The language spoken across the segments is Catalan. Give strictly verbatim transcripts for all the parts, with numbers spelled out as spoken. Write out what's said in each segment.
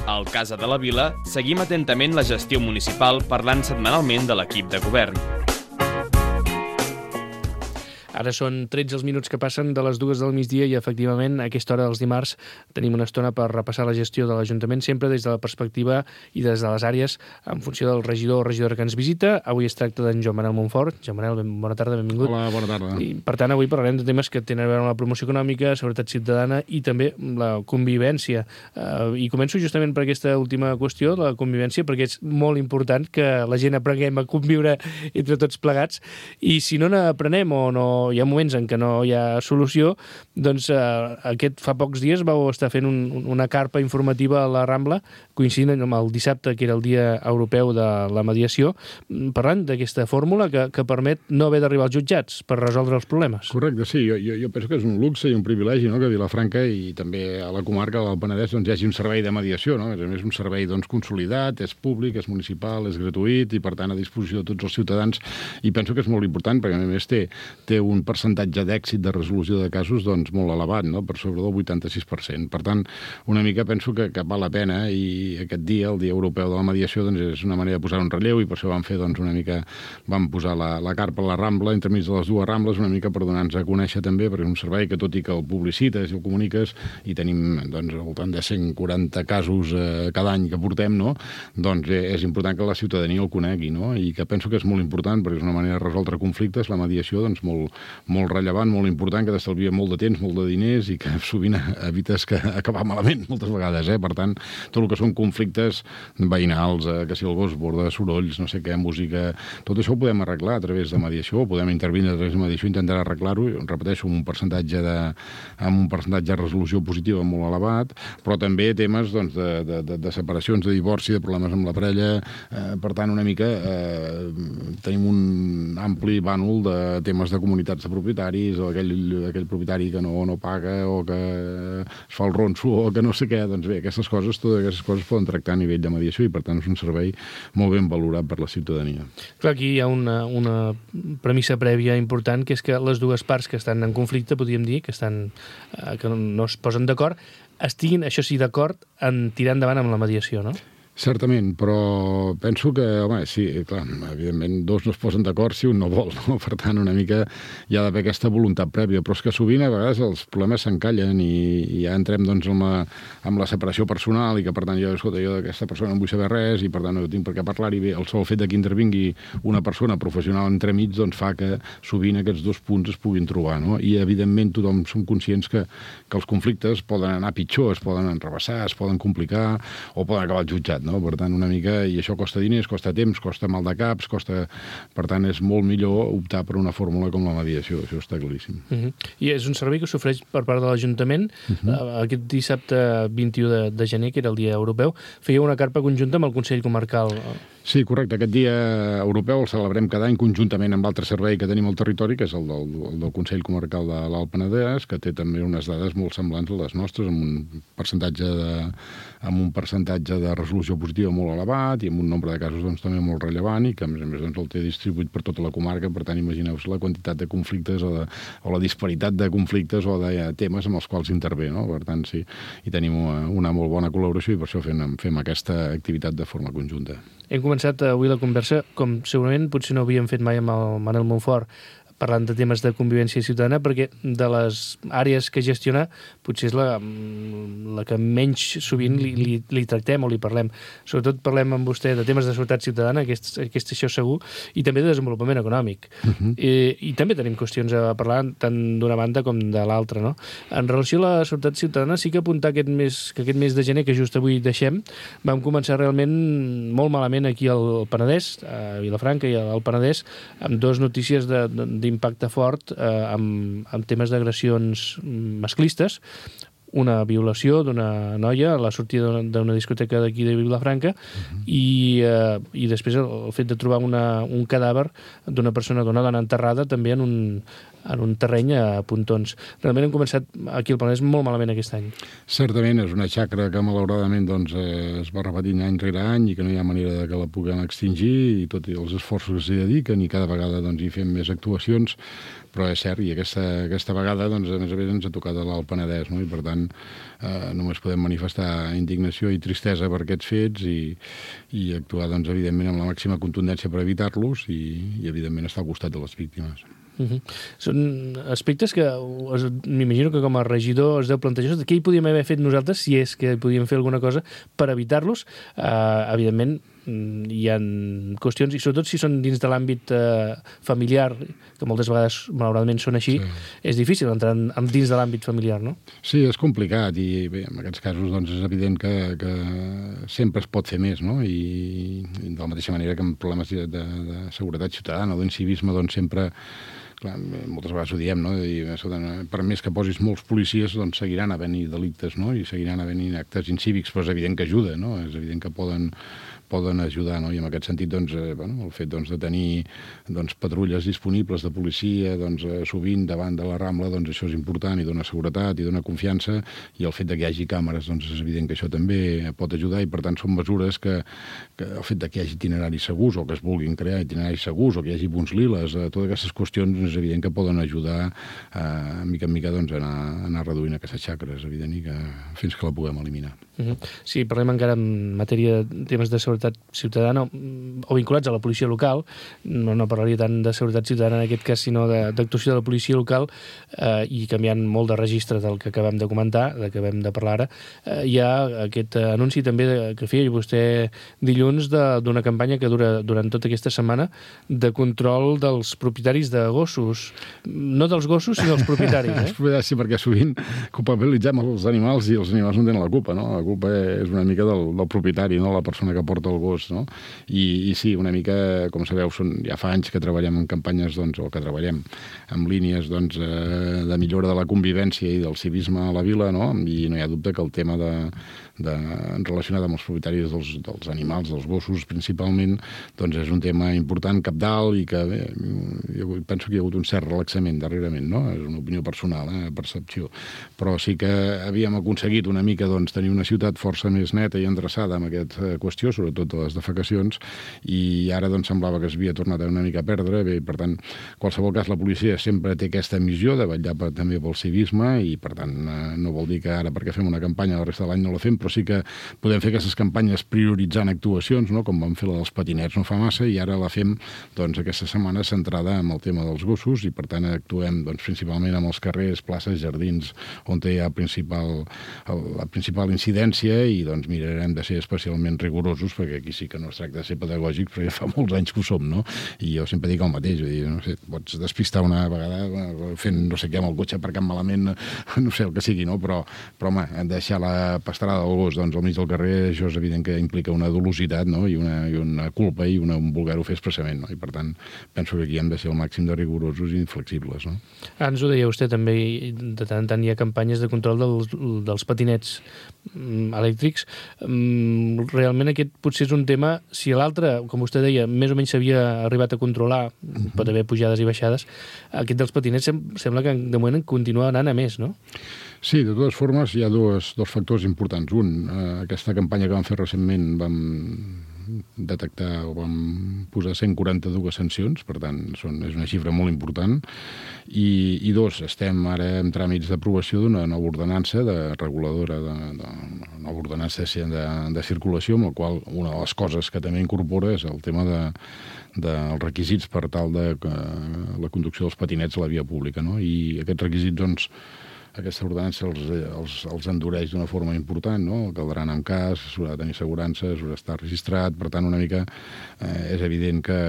Al Casa de la Vila seguim atentament la gestió municipal parlant setmanalment de l'equip de govern. Ara són tretze els minuts que passen de les dues del migdia i, efectivament, a aquesta hora dels dimarts tenim una estona per repassar la gestió de l'Ajuntament, sempre des de la perspectiva i des de les àrees en funció del regidor o regidora que ens visita. Avui es tracta d'en Joan Manel Montfort. Joan Manel, ben, bona tarda, benvingut. Hola, bona tarda. I, per tant, avui parlarem de temes que tenen a veure amb la promoció econòmica, seguretat ciutadana i també la convivència. Uh, I començo justament per aquesta última qüestió, la convivència, perquè és molt important que la gent aprenguem a conviure entre tots plegats, i si no n'aprenem o no hi ha moments en què no hi ha solució, doncs eh, aquest fa pocs dies vau estar fent un, una carpa informativa a la Rambla, coincidint amb el dissabte, que era el Dia Europeu de la Mediació, parlant d'aquesta fórmula que, que permet no haver d'arribar als jutjats per resoldre els problemes. Correcte, sí. Jo, jo, jo penso que és un luxe i un privilegi, no?, que a Vilafranca i també a la comarca del Penedès doncs, hi hagi un servei de mediació, no? A més, un servei doncs, consolidat, és públic, és municipal, és gratuït i, per tant, a disposició de tots els ciutadans, i penso que és molt important perquè, a més, té, té un percentatge d'èxit de resolució de casos doncs, molt elevat, no?, per sobre del vuitanta-sis per cent. Per tant, una mica penso que, que val la pena, i aquest dia, el Dia Europeu de la Mediació, doncs, és una manera de posar un relleu, i per això vam fer doncs, una mica, vam posar la, la carpa a la Rambla, entremig de les dues Rambles, una mica per donar-nos a conèixer també, perquè és un servei que, tot i que el publicites i el comuniques, i tenim doncs, al voltant de cent quaranta casos eh, cada any que portem, no?, doncs eh, és important que la ciutadania el conegui, no?, i que penso que és molt important, perquè és una manera de resoldre conflictes, la mediació, doncs, molt, molt rellevant, molt important, que t'estalvia molt de temps, molt de diners, i que sovint evites que acabar malament moltes vegades, eh? Per tant, tot el que són conflictes veïnals, eh, que si el gos borda, sorolls, no sé què, música, tot això ho podem arreglar a través de mediació, podem intervenir a través de mediació i intentar arreglar-ho, repeteixo, amb un percentatge de, amb un percentatge de resolució positiva molt elevat, però també temes doncs, de, de, de, de separacions, de divorci, de problemes amb la parella, eh, per tant, una mica eh, tenim un ampli bànol de temes de comunitats de propietaris, o aquell, aquell propietari que no, no paga, o que es fa el ronso, o que no sé què. Doncs bé, aquestes coses, totes aquestes coses poden tractar a nivell de mediació, i per tant és un servei molt ben valorat per la ciutadania. Clar, aquí hi ha una, una premissa prèvia important, que és que les dues parts que estan en conflicte, podríem dir, que, estan, eh, que no es posen d'acord, estiguin, això sí, d'acord en tirar endavant amb la mediació, no? Certament, però penso que, home, sí, clar, evidentment dos no es posen d'acord si un no vol, no? Per tant, una mica hi ha d'haver aquesta voluntat prèvia, però és que sovint a vegades els problemes s'encallen i, i ja entrem doncs amb la, amb la separació personal, i que per tant jo, escolta, jo d'aquesta persona no vull saber res, i per tant no tinc per què parlar-hi bé. El sol fet que intervingui una persona professional entremig doncs fa que sovint aquests dos punts es puguin trobar, no? I evidentment tothom som conscients que, que els conflictes poden anar pitjor, es poden enrebaçar, es poden complicar, o poden acabar al jutjat, no? Per tant, una mica, i això costa diners, costa temps, costa mal de caps, costa... Per tant, és molt millor optar per una fórmula com la mediació, això està claríssim. Uh-huh. I és un servei que s'ofereix per part de l'Ajuntament. Uh-huh. Aquest dissabte vint-i-u de, de gener, que era el Dia Europeu, feia una carpa conjunta amb el Consell Comarcal. Sí, correcte. Aquest dia europeu el celebrem cada any conjuntament amb l'altre servei que tenim al territori, que és el del, el del Consell Comarcal de l'Alt Penedès, que té també unes dades molt semblants a les nostres, amb un percentatge de, amb un percentatge de resolució positiva molt elevat i amb un nombre de casos doncs, també molt rellevant, i que a més a més doncs, el té distribuït per tota la comarca. Per tant, imagineu-vos la quantitat de conflictes o, de, o la disparitat de conflictes o de temes amb els quals intervé, no? Per tant, sí, i tenim una, una molt bona col·laboració, i per això fem, fem aquesta activitat de forma conjunta. Hem començat avui la conversa, com segurament potser no havíem fet mai amb el Manel Montfort, parlant de temes de convivència ciutadana, perquè de les àrees que gestiona potser és la, la que menys sovint li, li, li tractem o li parlem. Sobretot parlem amb vostè de temes de seguretat ciutadana, aquest, aquest això segur, i també de desenvolupament econòmic. Uh-huh. I, I també tenim qüestions a parlar tant d'una banda com de l'altra, no? En relació a la seguretat ciutadana, sí que apuntar aquest mes, que aquest mes de gener, que just avui deixem, vam començar realment molt malament aquí al Penedès, a Vilafranca i al Penedès, amb dues notícies de, de d'impacte fort eh, amb, amb temes d'agressions masclistes, una violació d'una noia a la sortida d'una discoteca d'aquí de Vilafranca, uh-huh. i, eh, i després el, el fet de trobar una, un cadàver d'una persona, d'una dona enterrada també en un, en un terreny a Pontons. Realment hem començat aquí al Penedès molt malament aquest any. Certament, és una xacra que malauradament doncs, eh, es va repetint any rere any i que no hi ha manera de que la puguem extingir, i tot i els esforços que s'hi dediquen, i cada vegada doncs, hi fem més actuacions, però és cert, i aquesta, aquesta vegada doncs, a més a més ens ha tocat a l'Alt Penedès, no? I per tant tant, eh, només podem manifestar indignació i tristesa per aquests fets i, i actuar, doncs, evidentment, amb la màxima contundència per evitar-los i, i, evidentment, estar al costat de les víctimes. Uh-huh. Són aspectes que m'imagino que com a regidor es deu plantejar què hi podíem haver fet nosaltres, si és que podíem fer alguna cosa per evitar-los. Uh, evidentment, hi ha qüestions, i sobretot si són dins de l'àmbit uh, familiar, que moltes vegades, malauradament, són així, sí. És difícil entrar en, en dins de l'àmbit familiar, no? Sí, és complicat, i bé, en aquests casos doncs, és evident que, que sempre es pot fer més, no? I, i de la mateixa manera que en problemes de, de, de seguretat ciutadana o d'incivisme, doncs sempre... Clar, moltes vegades ho diem, no? I, per més que posis molts policies, doncs seguiran havent-hi delictes, no? I seguiran havent-hi actes incívics, però és evident que ajuda, no? És evident que poden, poden ajudar, no? I en aquest sentit, doncs, eh, bueno, el fet doncs, de tenir doncs, patrulles disponibles de policia doncs, eh, sovint davant de la Rambla, doncs això és important i dona seguretat i dona confiança, i el fet de que hi hagi càmeres, doncs és evident que això també pot ajudar, i per tant són mesures que, que el fet de que hi hagi itineraris segurs o que es vulguin crear itineraris segurs o que hi hagi punts liles, eh, totes aquestes qüestions és evident que poden ajudar eh, mica en mica doncs, a, anar, a anar reduint aquestes xacres, evident, i que fins que la puguem eliminar. Uh-huh. Sí, parlem encara en matèria de temes de seguretat ciutadana o vinculats a la policia local. No, no parlaria tant de seguretat ciutadana en aquest cas, sinó d'actuació de la policia local, eh, i canviant molt de registre del que acabem de comentar, del que acabem de parlar ara. Eh, hi ha aquest anunci també de, que feia vostè dilluns d'una campanya que dura durant tota aquesta setmana de control dels propietaris de gossos. No dels gossos, sinó dels propietaris. Eh? Sí, perquè sovint culpabilitzem els animals i els animals no tenen la culpa, no? La culpa és una mica del, del propietari, no? La persona que porta el gos, no? I, i sí, una mica, com sabeu, són, ja fa anys que treballem en campanyes, doncs, o que treballem amb línies doncs, eh, de millora de la convivència i del civisme a la vila, no? I no hi ha dubte que el tema de, de, relacionat amb els propietaris dels, dels animals, dels gossos principalment, doncs és un tema important, cabdal, i que bé, jo penso que hi ha hagut un cert relaxament darrerament, no? És una opinió personal, eh, percepció. Però sí que havíem aconseguit una mica doncs, tenir una ciutat força més neta i endreçada amb aquesta qüestió, sobretot de les defecacions, i ara doncs, semblava que es havia tornat una mica a perdre. Bé, per tant, en qualsevol cas, la policia sempre té aquesta missió de vetllar per, també pel civisme, i per tant no vol dir que ara perquè fem una campanya la resta de l'any no la fem, però sí que podem fer aquestes campanyes prioritzant actuacions, no? Com vam fer la dels patinets no fa massa, i ara la fem doncs, aquesta setmana centrada en el tema dels gossos, i per tant actuem doncs, principalment amb els carrers, places, jardins, on hi ha principal, la principal incidència, i doncs mirarem de ser especialment rigorosos, perquè aquí sí que no es tracta de ser pedagògics, perquè fa molts anys que ho som, no? I jo sempre dic el mateix, dir, no sé, pots despistar una vegada fent no sé què amb el cotxe aparcant malament, no sé el que sigui, no? Però, però home, deixar la pastrada del gos doncs, al mig del carrer, això és evident que implica una dolositat, no? I una, i una culpa i una, un voler-ho fer expressament, no? I per tant, penso que aquí hem de ser el màxim de rigorosos i inflexibles, no? Ah, ens ho deia vostè també, de tant en tant hi ha campanyes de control dels, dels patinets elèctrics. Realment aquest potser és un tema, si l'altre, com vostè deia, més o menys s'havia arribat a controlar, uh-huh. Pot haver pujades i baixades, aquest dels patinets sem sembla que de moment continua anant a més, no? Sí, de totes formes hi ha dos, dos factors importants. Un, eh, aquesta campanya que vam fer recentment vam detectar o vam posar cent quaranta-dues sancions, per tant són, és una xifra molt important, i, i dos, estem ara en tràmits d'aprovació d'una nova ordenança de reguladora, de, de, de nova ordenança de, de circulació, amb la qual una de les coses que també incorpora és el tema de dels requisits per tal de que la conducció dels patinets a la via pública, no? I aquests requisits, doncs, aquesta ordenança els, els, els endureix d'una forma important, no? Caldrà anar amb cas, s'haurà de tenir assegurança, s'haurà d'estar registrat, per tant, una mica eh, és evident que,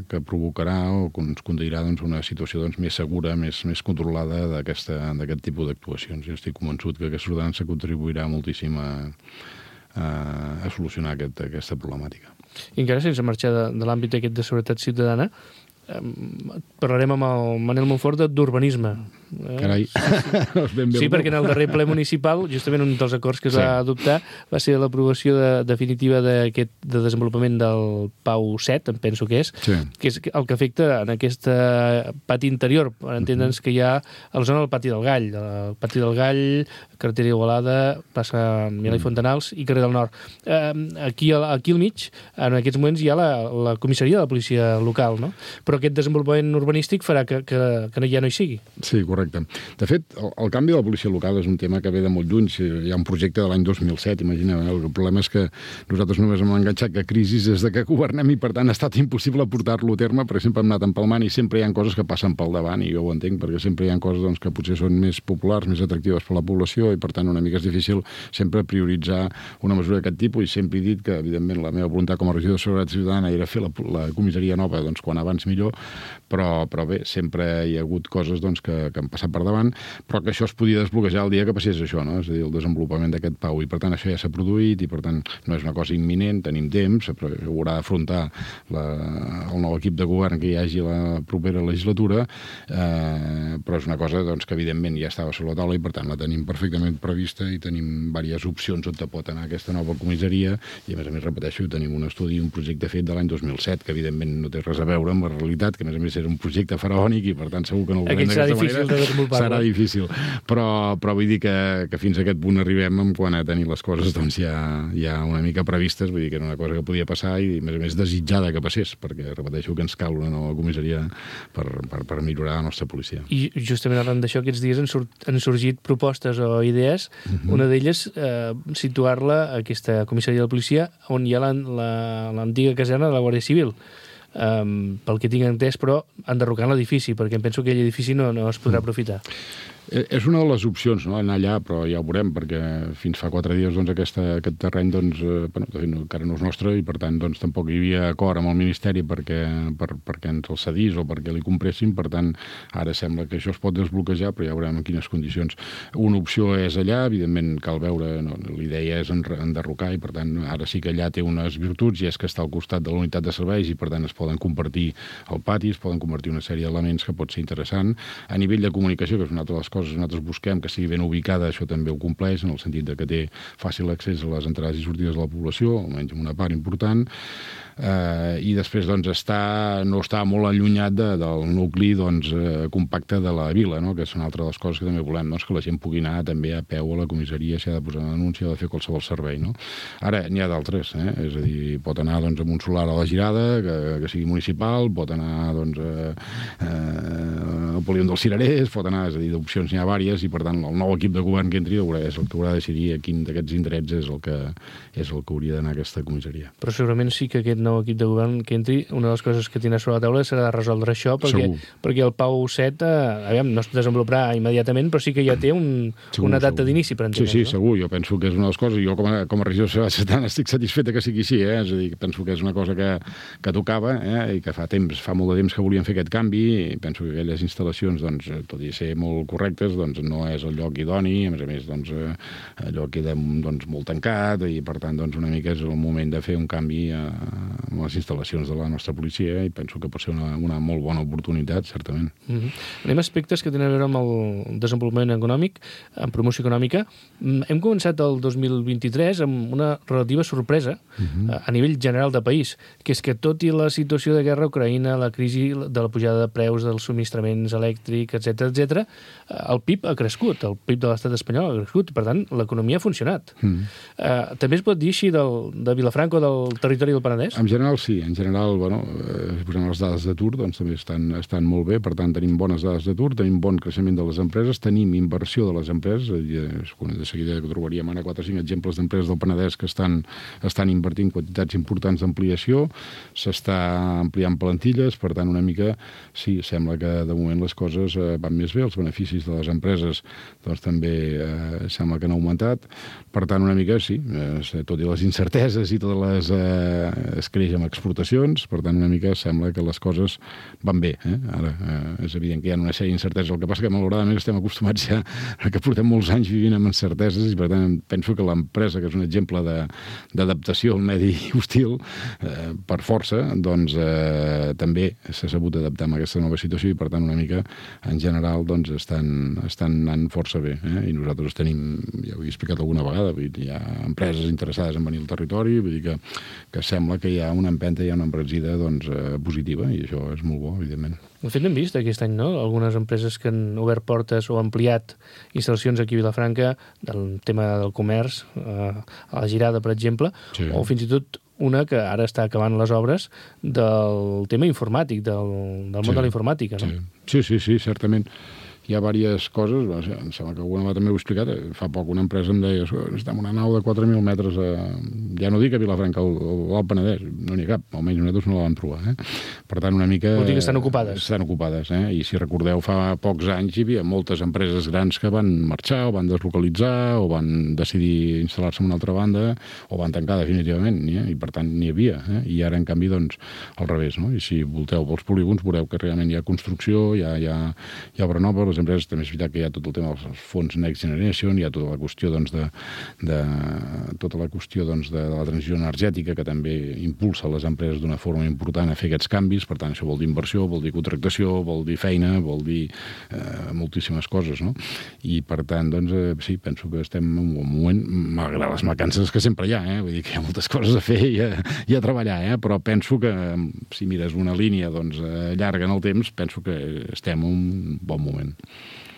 que provocarà o ens conduirà doncs, una situació doncs, més segura, més, més controlada d'aquest tipus d'actuacions. Jo estic convençut que aquesta ordenança contribuirà moltíssim a, a, a solucionar aquest, aquesta problemàtica. I encara sense marxar de, de l'àmbit aquest de seguretat ciutadana, eh, parlarem amb el Manel Monfort d'urbanisme. Eh? Carai. Sí, perquè en el darrer ple municipal, justament un dels acords que es sí. va adoptar va ser l'aprovació de, definitiva d'aquest de desenvolupament del Pau set, em penso que és, sí. que és el que afecta en aquest pati interior, per entendre'ns que hi ha a la zona del Pati del Gall, el Pati del Gall, carretera Igualada, plaça Milà i Fontanals i carrer del Nord. Eh, aquí, aquí al mig, en aquests moments, hi ha la, la comissaria de la policia local, no? Però però aquest desenvolupament urbanístic farà que, que, que ja no hi sigui. Sí, correcte. De fet, el, el canvi de la policia local és un tema que ve de molt lluny. Hi ha un projecte de l'any dos mil set, imagineu. Eh? El problema és que nosaltres només hem enganxat que crisis des de que governem i, per tant, ha estat impossible portar-lo a terme. Per exemple, hem anat empalmant i sempre hi ha coses que passen pel davant, i jo ho entenc, perquè sempre hi ha coses doncs, que potser són més populars, més atractives per la població, i, per tant, una mica és difícil sempre prioritzar una mesura d'aquest tipus, i sempre he dit que, evidentment, la meva voluntat com a regidor de Seguretat Ciutadana era fer la, la comissaria nova doncs, quan abans millor, però, però bé, sempre hi ha hagut coses doncs, que, que han passat per davant, però que això es podia desbloquejar el dia que passés això, no? És a dir, el desenvolupament d'aquest P A U, i per tant això ja s'ha produït, i per tant no és una cosa imminent, tenim temps, però haurà d'afrontar la, el nou equip de govern que hi hagi la propera legislatura, eh, però és una cosa doncs, que evidentment ja estava sobre la taula, i per tant la tenim perfectament prevista, i tenim diverses opcions on pot anar aquesta nova comissaria, i a més a més, repeteixo, tenim un estudi, un projecte fet de l'any dos mil set, que evidentment no té res a veure amb la realitat, que a més a més era un projecte faraònic, i per tant segur que no el veurem d'aquesta manera. Serà difícil, però, però vull dir que, que fins a aquest punt arribem en quan a tenir les coses doncs, ja, ja una mica previstes, vull dir que era una cosa que podia passar, i a més a més desitjada que passés, perquè repeteixo que ens cal una nova comissaria per, per, per millorar la nostra policia. I justament arran d'això, aquests dies han, surt, han sorgit propostes o idees, uh-huh. Una d'elles eh, situar-la, aquesta comissaria de policia, on hi ha l'antiga caserna de la Guàrdia Civil. Um, pel que tinc entès, però enderrocant l'edifici, perquè em penso que aquell edifici no, no es podrà aprofitar. És una de les opcions, no?, anar allà, però ja ho veurem, perquè fins fa quatre dies doncs, aquesta, aquest terreny doncs, eh, bueno, de fet, encara no és nostre, i per tant doncs, tampoc hi havia acord amb el Ministeri perquè, per, perquè ens el cedís o perquè li compressin. Per tant, ara sembla que això es pot desbloquejar, però ja veurem en quines condicions. Una opció és allà, evidentment cal veure, no, l'idea és enderrocar, i per tant ara sí que allà té unes virtuts, i és que està al costat de la unitat de serveis, i per tant es poden compartir el pati, es poden convertir una sèrie d'elements que pot ser interessant. A nivell de comunicació, que és una altra de les coses que nosaltres busquem, que sigui ben ubicada, això també ho compleix, en el sentit de que té fàcil accés a les entrades i sortides de la població, almenys en una part important, eh, i després doncs, està, no està molt allunyat de, del nucli doncs, eh, compacte de la vila, no?, que és una altra de les coses que també volem, doncs, que la gent pugui anar també a peu a la comissaria, si ha de posar una denúncia, ha de fer qualsevol servei. No? Ara, n'hi ha d'altres, eh? És a dir, pot anar doncs, amb un solar a la Girada, que, que sigui municipal, pot anar doncs, a, a, al polígon dels Cirerers, pot anar, és a dir, d'opcions n'hi ha vàries, i per tant el nou equip de govern que entri és el que haurà de decidir a quin d'aquests indrets és el que, és el que hauria d'anar a aquesta comissaria. Però segurament sí que aquest nou equip de govern que entri, una de les coses que tindrà sobre la taula serà de resoldre això, perquè, perquè el P A U set eh, aviam, no es desenvoluparà immediatament, però sí que ja té un, segur, una data d'inici, per entendre. Sí, sí, no? Segur. Jo penso que és una de les coses, jo com a, com a regidor de Seguretat Ciutadana estic satisfeta que sigui així, eh? És a dir, penso que és una cosa que, que tocava, eh? I que fa temps, fa molt de temps que volien fer aquest canvi, i penso que aquelles instal·lacions, doncs, tot i ser molt correctes, doncs no és el lloc idoni, a més a més, doncs, allò queda doncs, molt tancat, i per tant, doncs, una mica és el moment de fer un canvi a, a les instal·lacions de la nostra policia, i penso que pot ser una, una molt bona oportunitat, certament. Mm-hmm. Anem a aspectes que tenen a veure amb el desenvolupament econòmic, amb promoció econòmica. Hem començat el dos mil vint-i-tres amb una relativa sorpresa mm-hmm. a, a nivell general de país, que és que tot i la situació de guerra a Ucraïna, la crisi de la pujada de preus dels subministraments elèctrics, etcètera, etcètera, el P I B ha crescut, el P I B de l'estat espanyol ha crescut, per tant, l'economia ha funcionat. Mm. Uh, també es pot dir així del, de Vilafranca o del territori del Penedès? En general, sí. En general, bueno, eh, posem les dades d'atur, doncs també estan, estan molt bé, per tant, tenim bones dades d'atur, tenim bon creixement de les empreses, tenim inversió de les empreses, de seguida que trobaríem ara quatre o cinc exemples d'empreses del Penedès que estan, estan invertint quantitats importants d'ampliació, s'està ampliant plantilles, per tant, una mica, sí, sembla que de moment les coses eh, van més bé, els beneficis de les empreses doncs també eh, sembla que han augmentat, per tant, una mica, sí, eh, tot i les incerteses i totes les... Eh, es creix amb exportacions, per tant, una mica sembla que les coses van bé. Eh? Ara, eh, és evident que hi ha una sèrie d'incerteses, el que passa que malauradament estem acostumats ja que portem molts anys vivint amb incerteses, i per tant penso que l'empresa, que és un exemple d'adaptació al medi hostil, eh, per força, doncs eh, també s'ha sabut adaptar a aquesta nova situació, i per tant una mica en general doncs estan, estan anant força bé, eh? I nosaltres tenim, ja ho he explicat alguna vegada, vull dir, hi ha empreses interessades en venir al territori, vull dir que, que sembla que hi ha una empenta, hi ha una embranzida doncs, eh, positiva, i això és molt bo, evidentment. De fet, hem vist aquest any, no?, algunes empreses que han obert portes o ampliat instal·lacions aquí a Vilafranca, del tema del comerç, eh, a la Girada, per exemple, sí. O fins i tot una que ara està acabant les obres del tema informàtic, del, del món sí, de la informàtica, no? Sí, sí, sí, certament. Hi ha diverses coses, em sembla que alguna també ho he explicat, fa poc una empresa em deia estem en una nau de quatre mil metres, a, ja no dic a Vilafranca o al Penedès, no n'hi ha cap, almenys nosaltres no la vam trobar. Eh? Per tant, una mica... Vol dir que estan ocupades. Estan ocupades, eh? I si recordeu, fa pocs anys hi havia moltes empreses grans que van marxar o van deslocalitzar o van decidir instal·lar-se en una altra banda o van tancar definitivament, eh? I per tant n'hi havia. Eh? I ara, en canvi, doncs, al revés, no? I si volteu pels polígons, veureu que realment hi ha construcció, hi ha, hi ha, hi ha obra nova, les empreses, també és veritat que hi ha tot el tema dels fons Next Generation, hi ha tota la qüestió doncs, de, de, tota la qüestió doncs, de, de la transició energètica que també impulsa les empreses d'una forma important a fer aquests canvis, per tant això vol dir inversió, vol dir contractació, vol dir feina, vol dir eh, moltíssimes coses, no? I per tant, doncs, eh, sí, penso que estem en un moment, malgrat les mancances que sempre hi ha, eh? Vull dir que hi ha moltes coses a fer i a, i a treballar, eh? Però penso que si mires una línia doncs, llarga en el temps, penso que estem en un bon moment.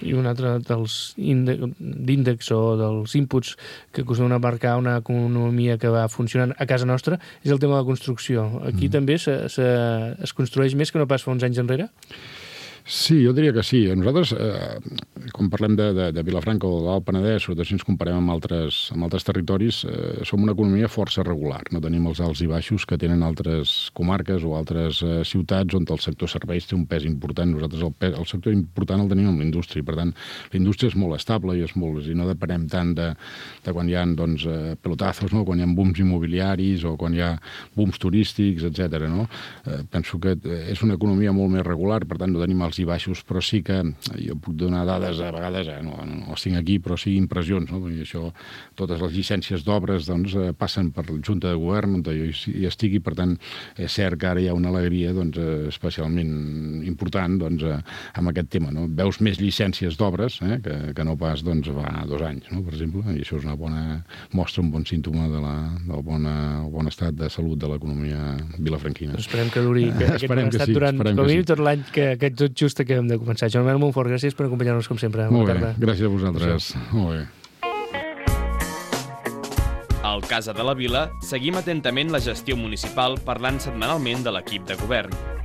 I un altre dels índexs o dels inputs que acostumen a marcar una economia que va funcionant a casa nostra és el tema de la construcció. Aquí mm. també se, se, es construeix més que no pas fa uns anys enrere? Sí, jo diria que sí. Nosaltres, eh, quan parlem de, de, de Vilafranca o de l'Alt Penedès, sobretot si ens comparem amb altres, amb altres territoris, eh, som una economia força regular. No tenim els alts i baixos que tenen altres comarques o altres eh, ciutats on el sector serveis té un pes important. Nosaltres el, pes, el sector important el tenim amb la indústria. Per tant, la indústria és molt estable i, és molt, i no depenem tant de, de quan hi ha doncs, eh, pelotazos, no? Quan hi ha booms immobiliaris o quan hi ha booms turístics, etcètera. No? Eh, penso que és una economia molt més regular, per tant, no tenim els i baixos, però sí que jo puc donar dades, a vegades, eh, no, no les tinc aquí, però sí impressions, no? Perquè això, totes les llicències d'obres doncs, passen per la Junta de Govern on jo hi estigui, per tant, és cert que ara hi ha una alegria doncs, especialment important doncs, amb aquest tema. No? Veus més llicències d'obres eh, que, que no pas doncs, fa dos anys, no? Per exemple, i això és una bona mostra, un bon símptoma de la, del bona, el bon estat de salut de l'economia vilafranquina. Esperem que duri que aquest bon estat sí, durant com a mínim tot l'any que, que tot just acabem de començar. Joan Manuel Montfort, gràcies per acompanyar-nos com sempre. Molt bé, gràcies a vosaltres. Molt bé. Al Casa de la Vila seguim atentament la gestió municipal parlant setmanalment de l'equip de govern.